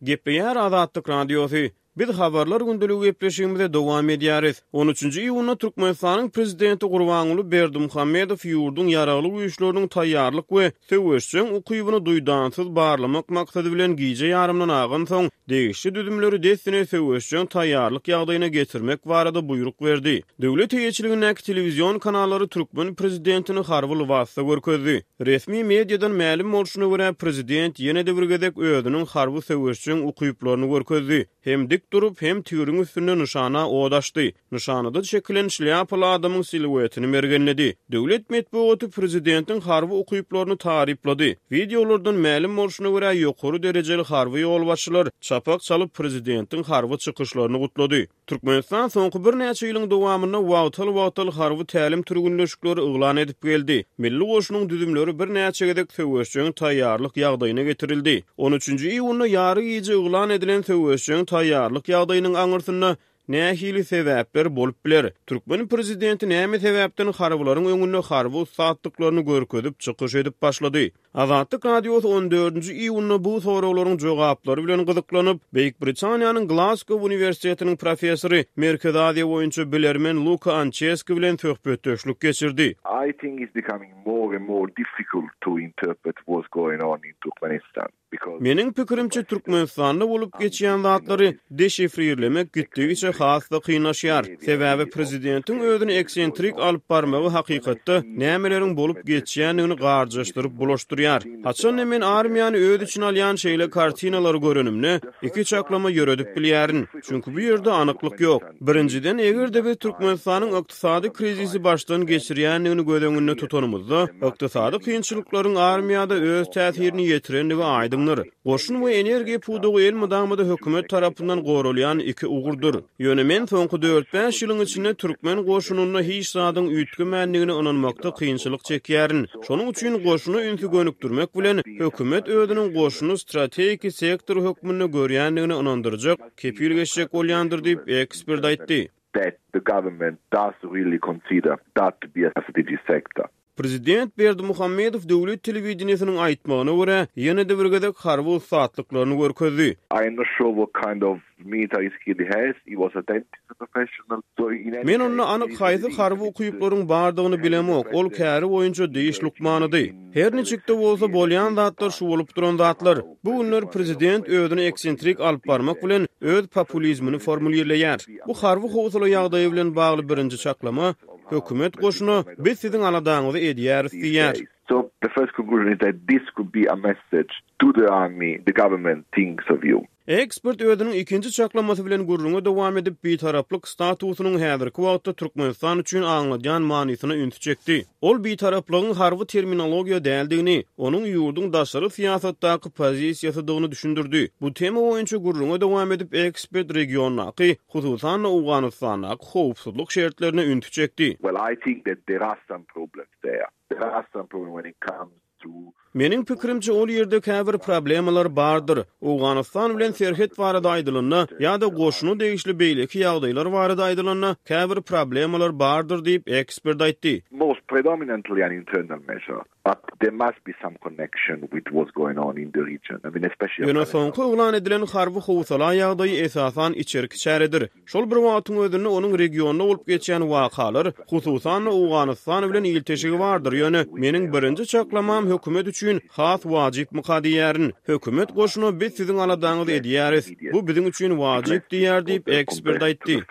Gepleýär Azatlyk Radiosy. Biz Habarlar gündeligi gepleşigimize dowam edýäris. On üçünji iýunda Türkmenistanyň Prezidenti Gurbanguly Berdimuhamedow ýurduň Ýaragly Güýçleriniň taýýarlyk we söweşjeň ukybyny duýdansyz barlamak maksady bilen gije ýarymdan agansoň, degişli düzümleri dessine söweşjeň taýýarlyk ýagdaýyna getirmek barada buýruk berdi. Döwlet eýeçiligindäki telewizion kanallary türkmen prezidentini harby lybasda görkezdi. Resmi mediadan mälim bolşuna görä, prezident ýene-de bir gezek özüniň harby söweşjeň ukyplaryny görkezdi. Hem dik durup, hem tigriň üstünde nyşana ot açdy. Nyşanada çekilen şlýapaly adamyň siluetini mergenledi. Döwlet metbugaty prezidentiň harby ukyplaryny taryplady. Wideolardan mälim bolşuna görä, ýokary derejeli harby ýolbaşçylar çapak çalyp, prezidentiň harby çykyşlaryny gutlady. Türkmenistan soňky birnäçe ýylyň dowamynda wagtal-wagtal harby tälim-türgünleşikleri yglan edip geldi. Milli goşunyň düzümleri birnäçe gezek söweşjeň taýýarlyk ýagdaýyna getirildi. On üçünji iýunda ýary gije yglan edilen söweşjeň taýýarlyk ýagdaýynyň aňyrsynda nähili sebäpler bolup biler? Türkmen prezidenti näme sebäpden harbylaryň öňünde harby ussatlyklaryny görkezip çykyş edip başlady? Azatlyk Radiosy on dördünji iýunda bu soraglaryň jogaplary bilen gyzyklanyp, Beýik Britaniýanyň Glasgow uniwersitetiniň professory, Merkezi Aziýa boýunça bilermen Luka Ançeski bilen söhbetdeşlik geçirdi. I think it's becoming more and more difficult to interpret what's going on in Turkmenistan because. Meniň pikirimçe, Türkmenistanda bolup geçýän zatlary deşifrirlemek gitdigiçe has-da kynlaşýar. Sebäbi prezidentiň özüni eksentrik alyp barmagy hakykatda nämeleriň bolup geçýändigini garjaşdyryp bulaşdyrýar. Haçan-da men armiýany öz içine alýan şeýle kartinalary görenimde, iki çaklama ýöredip bilýärin. Çünki bu ýerde anyklyk ýok. Birinjiden, eger-de biz Türkmenistanyň ykdysady krizisi başdan geçirýändigini göz öňünde tutanymyzda, ykdysady kynçylyklaryň armiýada öz täsirini ýetirendigi aýdyňdyr. Goşun we energiýa pudagy elmydama-da hökümet tarapyndan goralýan iki ugurdyr. Ýöne men soňky dört-bäş ýylyň içinde türkmen goşunynda hiç zadyň üýtgemändigine ynanmakda kynçylyk çekýärin. Şonuň üçin goşuna ünsi gönükdirmek bilen, hökümet özüniň goşuny strategiki sektor hökmünde görýändigine ynandyrjak kepil geçjek bolýandyr diýip, ekspert aýtdy. That the government does really consider that to be a strategic sector. Prezident Berdimuhamedow döwlet telewideniýesiniň aýtmagyna görä, ýene-de bir gezek harby ussatlyklaryny görkezdi. I am not sure what kind of military skill he has, he was a dentist a professional, so in any Men onda anyk haýsy harby ukyplaryň bardygyny bilemok, ol käri boýunça diş lukmanydy. Her niçik-de bolsa, bolýan zatlar şu bolup duran zatlar. Bu günler prezident özüni eksentrik alyp barmak bilen, öz populizmini formulirleýär. Bu harby howsala ýagdaýy bilen bagly birinji çaklama, Hökümet goşuna, Biz siziň aladaňyzy edýäris diýýär. So the first conclusion is that this could be a message to the army, the government thinks of you. Ekspert özüniň ikinji çaklamasy bilen gürrüňe dowam edip, bitaraplyk statusynyň häzirki wagtda Türkmenistan üçin aňladýan manysyna ünsi çekdi. Ol bitaraplygyň harby terminologiýa däldigini, onuň ýurduň daşary syýasatdaky pozisiýasydygyny düşündirdi. Bu tema boýunça gürrüňe dowam edip, ekspert regiondaky, hususan-da, Owganystandaky howpsuzlyk şertlerine ünsi çekdi. Well, I think that there are some problems there. There are some problems when it comes to. Meniň pikirimçe, ol ýerde käbir problemalar bardyr. Owganystan bilen serhet barada aýdylanda ýa-da goşuna degişli beýleki ýagdaýlar barada aýdylanda, käbir problemalar bardyr diýip, ekspert aýtdy. Most predominantly an internal measure. But there must be some connection with what's going on in the region. I mean, especially Ýöne soňky yglan edilen harby howsala ýagdaýy esasan içerki çäredir. Şol bir wagtyň özünde onuň regionda bolup geçýän wakalar, hususan-da Owganystan bilen ilteşigi bardyr, ýöne meniň birinji çaklamam hökümet üçin has wajypmyka diýýärin. Hökümet goşuna biz siziň aladaňyzy edýäris, bu biziň üçin wajyp diýýär diýip, ekspert aýtdy.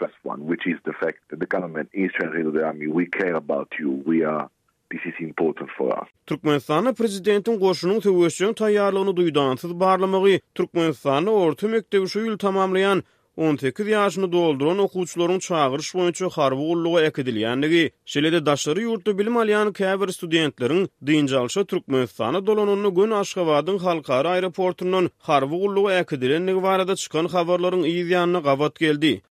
This is important for us. Türkmenistanda prezidentiň goşunyň söweşjeň taýýarlygyny duýdansyz barlamagy Türkmenistanda orta mekdebi şu ýyl tamamlaýan 18 ýaşyny dolduran okuwçylaryň çagyryş boýunça harby gulluga äkidilýändigi, şeýle-de daşary ýurtda bilim alýan käbir studentleriň dynç alşa Türkmenistana dolananda göni Aşgabadyň halkara aeroportundan harby gulluga äkidilendigi barada çykan habarlaryň yz ýanyna gabat geldi.